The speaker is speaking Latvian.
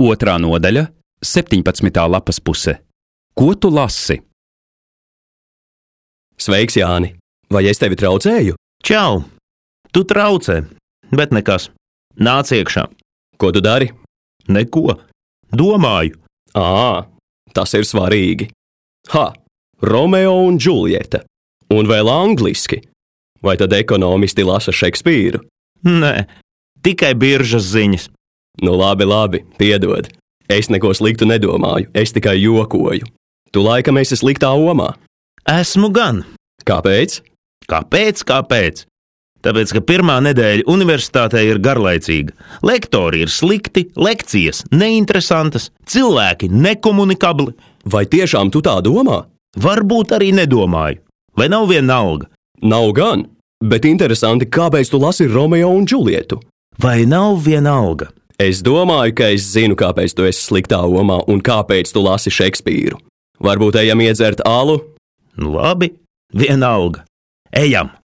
2. nodaļa, 17. lapas puse. Ko tu lasi? Sveiks, Jāni! Vai es tevi traucēju? Čau! Tu traucē, bet nekas. Nāc iekšā. Ko tu dari? Neko. Domāju. Tas ir svarīgi. Romeo un Džuljeta. Un vēl angliski. Vai tad ekonomisti lasa Šekspīru? Nē, tikai biržas ziņas. Nu labi, piedod. Es neko sliktu nedomāju, es tikai jokoju. Tu laikam esi sliktā omā. Esmu gan. Kāpēc? Kāpēc? Tāpēc, ka pirmā nedēļa universitātē ir garlaicīga. Lektori ir slikti, lekcijas neinteresantas, cilvēki nekomunikabli. Vai tiešām tu tā domā? Varbūt arī nedomāju. Vai nav vienalga? Nav gan, bet interesanti, kāpēc tu lasi Romeo un Džulietu? Vai nav vienalga? Es domāju, ka es zinu, kāpēc tu esi sliktā omā un kāpēc tu lasi Šekspīru. Varbūt ejam iedzert alu? Labi, vienalga. Ejam!